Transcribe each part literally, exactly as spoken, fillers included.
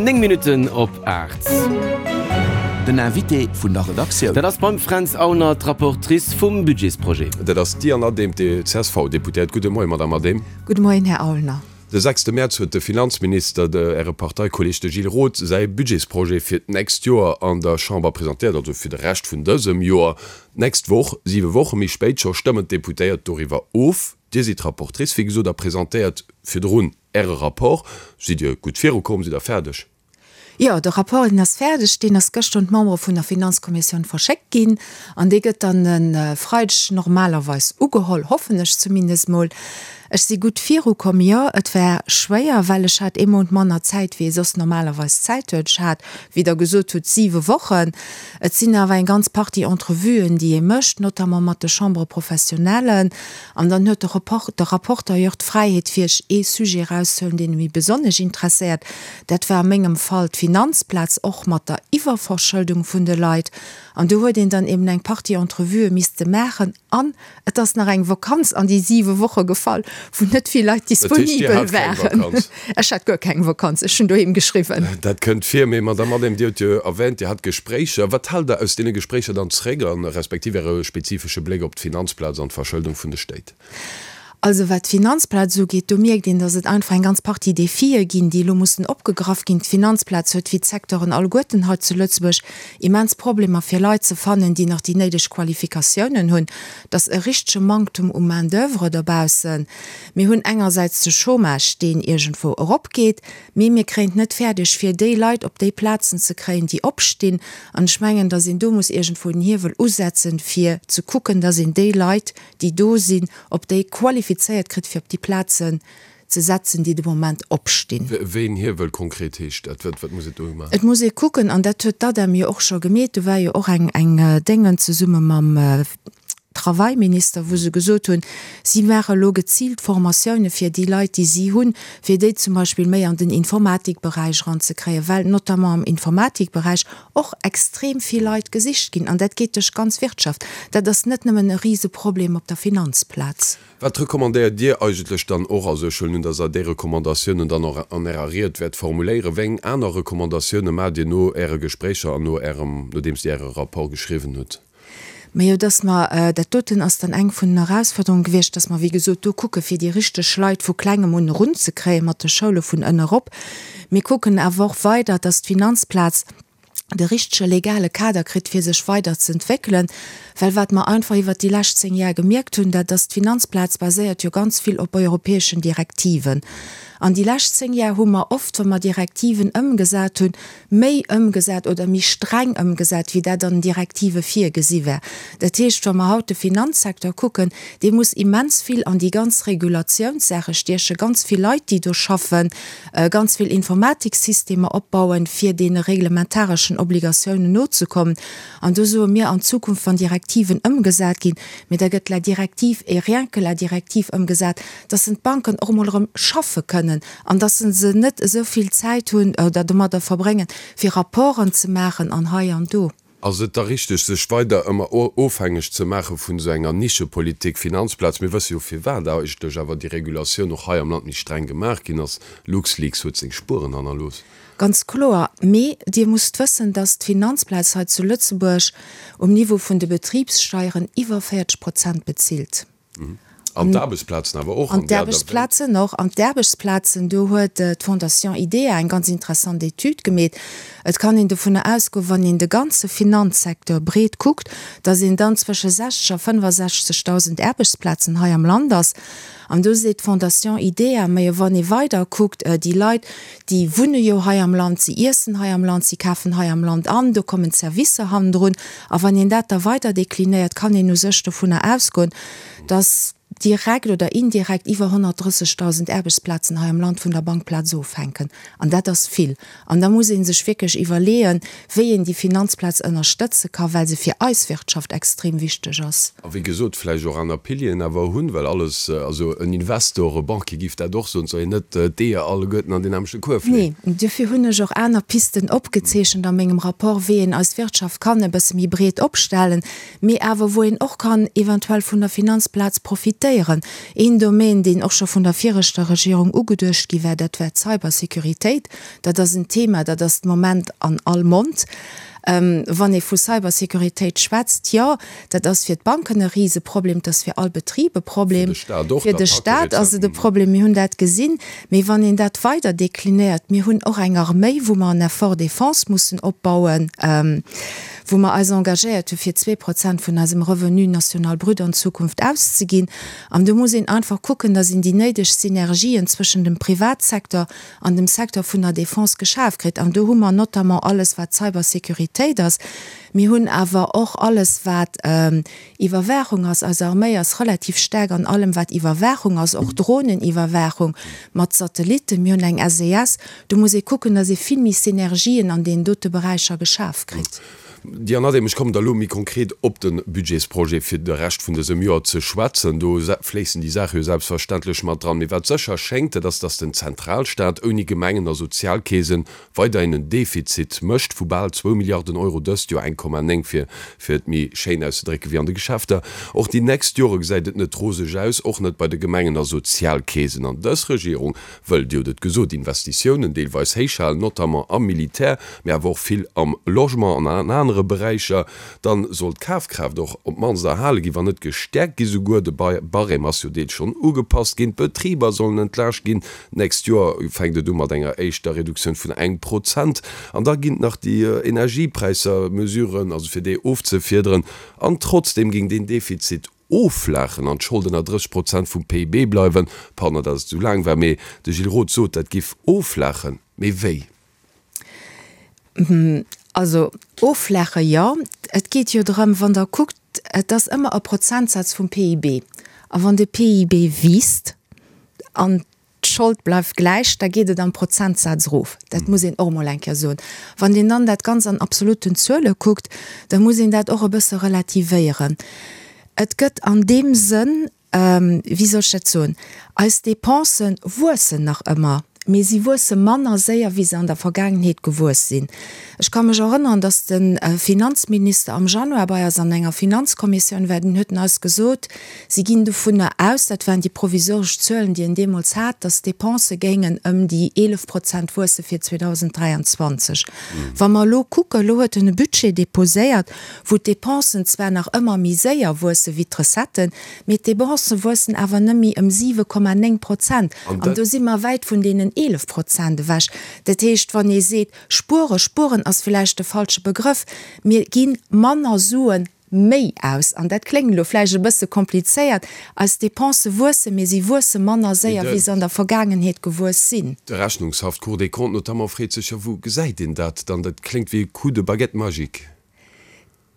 néng Minutten op aacht. Den Invité vun der Redaktioun. Dat ass beim Fränz Aulner, d'Rapportrice vum Budgetsprojet. Dat ass d'Diane Adehm, d'C S V-Deputéiert. Gudde Moien, Madamm Adehm. Gudde Moien, Här Aulner. De sechste Mäerz huet de Finanzminister, de Äre Parteikolleeg, de Gilles Roth, säi Budgetsprojet fir d'nächst Joer an der Chamber presentéiert, also fir de Rescht vun dësem Joer. D'nächst Woch, siwe Woche méi spéit scho, stëmmen d'Deputéiert doriwwer of. Dir sidd Rapportrice, wéi gesot, a presentéiert virdrun Äre Rapport. Sidd Dir gutt virukomm? Sidd Der fäerdeg? Jo, de Rapport, deen ass fäerdeg. Deen ass gëschter un d'Membere vun der Finanzkommissioun verschéckt ginn an dee gëtt dann e Freideg normalerweis ugeholl, hoffen ech zumindest mol. Ech si gutt virukomm, jo. Et war schwéier, well ech hat ee Mount manner Zäit, wéi ee soss normalerweis Zäit huet. Ech hat, wéi Der gesot hutt, siwe Wochen. Et sinn awer eng ganz Partie Entrevuen, déi ee mécht, notamment mat de Chambres professionnellen. An dann huet de Report, de Rapporteur jo och d'Fräiheet, fir sech ee Sujet erauszehuelen, deen e méi besonnesch interesséiert. Dat war a mengem Fall d'Finanzplaz, och mat der Iwwerverschëldung vun de Leit. An do huet een dann eben eng Partie Entrevuë misste maachen an et ass nach eng Vakanz an déi siwe Woche gefall, wou net vill Leit disponibel waren. Ech hat guer keng Vakanz, ech hunn doheem geschriwwen. Dat kënnt vir. Mee Madamm Adehm, Dir hutt jo erwähnt, Dir hat Gespréicher. Wat haalt Der aus deene Gespréicher dann zréck a respektiv Äre spezifesche Bléck op d'Finanzplaz an d'Verschëldung vun de Stéit? Also wat d'Finanzplaz ugeet, do mierkt een, datt et einfach eng ganz Partie Defie ginn, déi elo mussen opgegraff ginn. D'Finanzplaz huet, wéi d'Secteuren alleguerten hei zu Lëtzebuerg, immens Problemer fir Leit ze fannen, déi nach déi néideg Qualifikatiounen hunn. Et ass e richtege Manktum u Main d'oeuvre dobaussen. Mir hunn engersäits de Chômage, deen iergendwou eropgeet, mee mir kréien et net fäerdeg, fir déi Leit op déi Plazen ze kréien, déi opstinn. An ech mengen, datt een do muss iergendwou den Hiewel usetzen, fir ze kucken, datt een déi Leit, déi do sinn, op déi qualifizéiert kritt, fir op déi Plazen ze setzen, déi de Moment opstinn. Wéi een Hiewel konkret heescht dat? Wat muss et do maachen? Et muss ee kucken, an dat huet d'ADEM jo och scho gemeet, do war jo och eng eng Déngen zesumme mam Travailminister, wou se gesot hunn, si maache elo geziilt Formatioune fir déi Leit, déi si hunn, fir déi zum Beispill méi an den Informatikberäich eranzekréien, well notamment am Informatikberäich och extrem vill Leit gesicht ginn. An dat geet duerch d'ganz Wirtschaft. Dat ass net nëmmen e Riseproblem op der Finanzplaz. Wat recommandéiert Dir eigentlech dann och, also ech huelen un, dass Der déi Recommandatiounen dann och an Ärer Ried wäert formuléieren, wéi eng aner Recommandatioune maacht Dir no Äre Gespréicher an no Ärem, nodeems Dir Äre Rapport geschriwwen hutt? Majo, dass mer, dat doten ass dann eng vun den Erausforderungen gewiescht, dass mer, wéi gesot, do kucke fir déi richteg Leit vu Klengem un erunzekréien, mat de Schoule vun ënne erop. Mir kucken awer och weider, dass d'Finanzplaz de richtege legale Kader kritt, fir sech weider ze entwéckelen, well wat mer einfach iwwert déi lescht zéng Jar gemierkt hunn, dat ass, d'Finanzplaz baséiert jo ganz vill op europäeschen Direktiven. An déi lescht zéng Jar hu mer oft, wa mer Direktiven ëmgesat hunn, méi ëmgesat oder méi streng ëmgesat, wéi dat an den Direktive virgesi war. Dat heescht, wa mer haut de Finanzsecteur kucken, dee muss immens vill an déi ganz Regulatiounssaache stiechen, ganz vill Leit, déi do schaffen, ganz vill Informatiksystemer opbauen, fir deene reglementareschen Obligatiounen nozekommen. An do soe mir, an Zukunft, wann Direktiven ëmgesat ginn, mee da gëtt la directive et rien que la directive ëmgesat, dass en d'Banken och emol erëm schaffe kënnen an dass se net esou vill Zäit hunn oder domadder verbréngen, fir Rapporten ze maachen an hei an do. Ass et da richteg, sech weider ëmmer ofhängeg ze maache vun esou enger Nischepolitik, Finanzplaz? Mir wësse jo, firwat eigentlech awer déi Regulatioun och hei am Land méi streng gemaach ginn ass. LuxLeaks huet seng Spueren hannerlooss. Ganz kloer. Mee Dir musst wëssen, dass d'Finanzplaz hei zu Lëtzebuerg um Niveau vun de Betribssteieren iwwer véierzeg Prozent bezilt. An d'Aarbechtsplazen awer och. An d'Aarbechtsplazen och. An d'Aarbechtsplazen, do huet d'Fondation IDEA eng ganz interessant Etüd gemeet. Et kann een dovunner ausgoen, wann een de ganze Finanzsecteur breet kuckt, datt een dann zwësche sechzeg a fënnefasechzegdausend Aarbechtsplazen hei am Land ass. An do seet d'Fondation IDEA, Majo, wann ee weider kuckt, déi Leit, déi wunne jo hei am Land, si iessen hei am Land, si kafen hei am Land an, do kommen d'Servicer hannendrun. A wann een dat da weider deklinéiert, kann een u sech dovunner ausgoen, datt direkt oder indirekt iwwer honnertdrëssegdausend Aarbechtsplazen hei am Land vun der Bankplaz ofhänken. An dat ass vill. An da muss ee sech wierklech iwwerleeën, wéi een déi Finanzplaz ënnerstëtze ka, well se fir eis Wirtschaft extrem wichteg ass. A wéi gesot, vläicht och aner Pilieren awer hunn, well alles, also en Investor, e Banquier géif dat och soen, et soll een net d'Eeër alleguerten an deen nämmlechte Kuerf leeën. Nee, duerfir hunn ech och aner Pisten opgezeechent a mengem Rapport, wéi een eis Wirtschaft kann e bësse méi breet opstellen, mee awer wou een och kann eventuell vun der Finanzplaz profitéieren. moderniséieren. Een Domaine, deen och scho vun der viregter Regierung ugeduecht gi war, dat war d'Cybersécuritéit. Dat ass en Thema, dat ass de Moment an all Mond. Wann ee vu Cybersécuritéit schwätzt, jo, dat ass fir d'Banken e Riseproblem, dat ass fir all Betrib e Problem, fir de Stat ass et e Problem, mir hunn dat gesinn. Mee wann een dat weider deklinéiert, mir hunn och eng Arméi, wou mer en Effort défense mussen opbauen, wou mer eis engagéiert hu fir zwee Prozent vun eisem Revenu national brut an Zukunft auszeginn. An do muss een einfach kucken, datt een déi néideg Synergien zwëschen dem Privatsecteur an dem Secteur vun der Défense geschaf kritt. An do hu mer notamment alles, wat Cybersécuritéit ass. Mir hunn awer och alles, wat Iwwerwaachung ass. Eis Arméi ass relativ staark an allem, wat Iwwerwaachung ass, och Droneniwwerwaachung mat Satellitten. Mir hunn eng S E S. Do muss ee kucken, datt ee vill méi Synergien an deenen dote Beräicher geschaf kritt. Diane Adehm, ech kommen da elo méi konkret op de Budgetsprojet fir de Rescht vun dësem Joer ze schwätzen. Do fléissen déi Saache jo selbstverständlech mat dran. Mee wat sécher schéngt, dat ass, datt den Zentralstaat ouni Gemengen a Sozialkeesen weiderhin en Defizit mécht vu bal zwou Milliarden Euro dëst Joer, eng Komma néng fir, fir et méi schéin auszedrécken, wéi an de Geschäfter. Och déi nächst Jore gesäit et net roseg aus, och net bei de Gemengen a Sozialkeesen. An dës Regierung wëll, Dir hutt et gesot, Investitiounen deelweis héich halen, notamment am Militär, mee awer och vill am Logement an an anere Beräicher. Dann soll d'Kafkraaft och op d'mannst erhale ginn, wann net gestäerkt gi souguer. De Barème ass jo deels schonn ugepasst ginn. D'Betriber sollen entlaascht ginn. D'nächst Joer fänkt et u mat enger éischter Reduktioun vun engem Prozent. An da ginn et nach déi Energiepräisser, Mesuren, also fir déi ofzefiederen. An trotzdem géing deen Defizit offlaachen an d'Schold ënner drësseg Prozent vum P I B bleiwen. Pardon, datt et esou laang war, mee de Gilles Roth sot, dat giff offlaachen. Mee wéi? Also offlaache, jo. Et geet jo drëm, wann der kuckt, et ass ëmmer e Prozentsaz vum P I B. A wann de P I B wiisst an d'Schold bleift gläich, da geet et am Prozentsaz erof. Dat muss een och mol eng Kéier soen. Wann een dann dat Ganzt an absoluten Zuele kuckt, da muss een dat och e bësse relativéieren. Et gëtt an deem Sënn, wéi soll ech dat soen, eis Dépensen wuessen nach ëmmer, mee si wuesse manner séier, wéi se an der Vergaangenheet gewuess sinn. Ech ka mech erënneren, datt de Finanzminister am Januar bei eis an enger Finanzkommissioun war, den huet en eis gesot, si ginn dovunner aus, dat waren déi provisoresch Zuelen, déi en deemools hat, datt d'Dépense géingen ëm déi eelef Prozent wuesse fir zweetausenddräianzwanzeg. Wa mer elo kucken, elo huet en e Budget déposéiert, wou d'Dépensen zwar nach ëmmer méi séier wuesse wéi d'Recetten, mee d'Dépense wuessen awer net méi ëm siwe Komma néng Prozent. An An dat do si mer wäit vun deenen eelef Prozent ewech. Dat heescht, wann ee seet, spuere, spueren ass vläicht de falsche Begrëff, mir ginn manner Suen méi aus. An dat kléngt elo vläicht e bësse komplizéiert. Eis Dépense wuesse, mee si wuesse manner séier, wéi se an der Vergaangenheet gewuess sinn. De Rechnungshaff, d'Cour des Comptes notamment, freet sech jo, wou gesäit een dat dann? Dat kléngt wéi e Coup de baguette magique.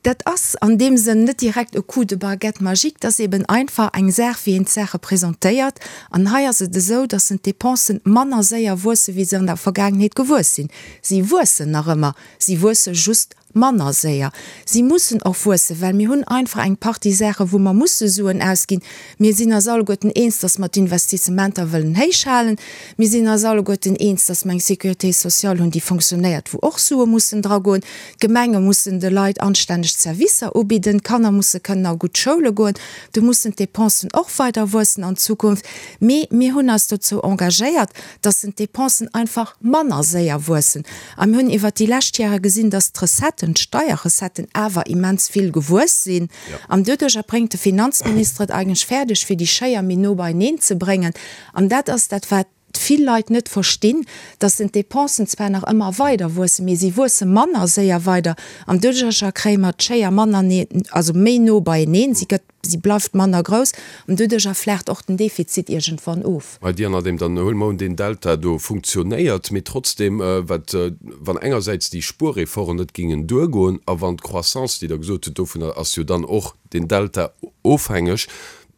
Dat ass an deem Sënn net direkt e Coup de baguette magique, dat ass eben einfach eng Saach, wéi een d'Saache presentéiert. An hei ass et esou, datt en d'Dépensen manner séier wuesse, wéi se an der Vergaangenheet gewuess sinn. Si wuessen nach ëmmer, si wuesse just manner séier. Si mussen och wuessen, well mir hunn einfach eng Partie Saache, wou mer musse Suen ausginn. Mir sinn eis alleguerten eens, datt mer d'Investissementer wëllen héich halen. Mir sinn eis alleguerten eens, datt mer eng Sécurité sociale hunn, déi fonctionnéiert, wou och Sue mussen dragoen. D'Gemenge mussen de Leit anstänneg Servicer ubidden, d'Kanner musse kënnen a gutt Schoule goen. Do mussen d'Dépensen och weider wuessen an Zukunft. Mee mir hunn eis dozou engagéiert, datt d'Dépensen einfach manner séier wuessen. A mir hunn iwwer déi lescht Jahre gesinn, datt d'Recetten, d'Steierrecetten awer immens vill gewuess sinn. Ja. An doduerch bréngt de Finanzminister et eigentlech fäerdeg, fir déi Schéier méi no beieneen ze bréngen. An dat ass dat, wat vill Leit net verstinn, datt d'Dépensen zwar nach ëmmer weider wuessen, mee si wuesse manner séier weider. An doduerch kréie mer d'Schéier manner ne-, also méi no beieneen. Si gëtt, si bleift manner grouss an doduerch erflacht och den Defizit iergendwann of. Bei dir, nachdem dann huele mer un, den Delta do funktionéiert, mee trotzdem, äh, wat, äh, wann engersäits déi Spuerreformen net gingen duergoen, a wann d'Croissance, déi der gesot hutt, dovunner ass jo dann och den Delta ofhängeg,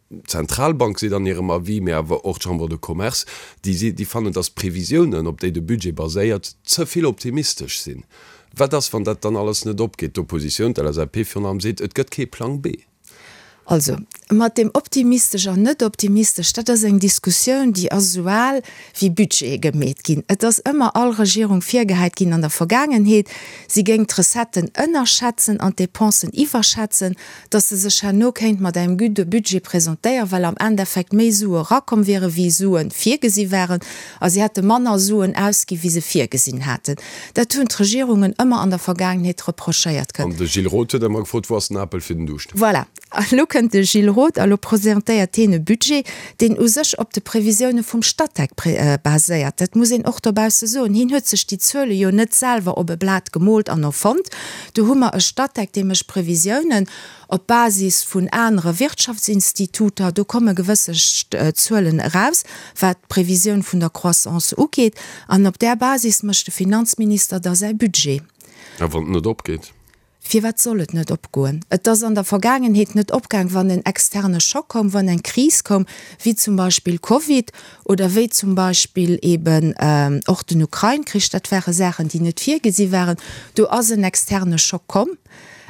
d'Zentralbank seet an hirem Avis, mee awer och d'Chambre de Commerce, déi si, déi fannen, datt d'Previsiounen, op déi de Budget baséiert, ze vill optimistesch sinn. Wat ass, wann dat dann alles net opgeet? D'Oppositioun, d'L S A P virun allem seet, et gëtt kee Plan B. Also, mat deem optimistesch an net optimistesch, dat ass eng Diskussioun, déi ass esou al wéi Budgete gemeet ginn. Et ass ëmmer all Regierung virgehäit ginn an der Vergaangenheet, si géing d'Recetten ënnerschätzen an d'Depensen iwwerschätzen, datt se sech herno kéint mat engem gudde Budget presentéieren, well am Endeffekt méi Sue erakomm wiere wéi Sue virgesi waren a si hätte manner Suen ausgi wéi se virgesinn haten. Dat hunn d'Regierungen ëmmer an der Vergaangenheet reprochéiert kritt. An de Gilles Roth huet ëmmer gefrot, Wou ass den Apel fir den Duuscht? Voilà. An elo kënnt de Gilles Roth a lo presentéiert hien e Budget, deen u sech op de Previsioune vum Statec baséiert. Dat muss een och dobausse soen. Hien huet sech déi Zuele jo net selwer op e Blat gemoolt an erfonnt. Do hu mer e Statec, dee mécht Previsiounen op Basis vun anere Wirtschaftsinstituter. Do komme gewësse Zuelen eraus, wat d'Previsioun vun der Croissance ugeet. An op där Basis mécht de Finanzminister da säi Budget. A wann et net opgeet? Firwat soll et net opgoen? Et ass an der Vergaangenheet net opgaang, wann en externe Schock koum, wann eng Kris koum, wéi zum Beispill Covid oder wéi zum Beispill eeben och den Ukrain-Krich. Dat ware Saachen, déi net virgesi waren. Do ass en externe Schock komm.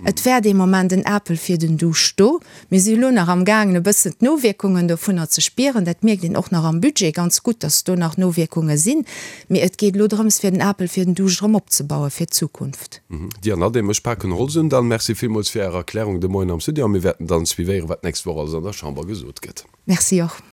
Et wär dee Moment en Apel fir den Duuscht do. Mir si elo nach amgaangen, e bëssen d'Nowierkungen dovunner ze spieren. Dat mierkt een och nach am Budget ganz gutt, dass do nach Nowierkunge sinn. Mee et geet elo drëms, fir den Apel fir den Duuscht erëm opzebaue fir d'Zukunft. Diane Adehm, ech paken Holz un. Dann merci villmools fir Är Erklärung de Moien am Studio a mir wäerten dann suivéieren, wat d'nächst Woch alles an der Chamber gesot gëtt. Merci och.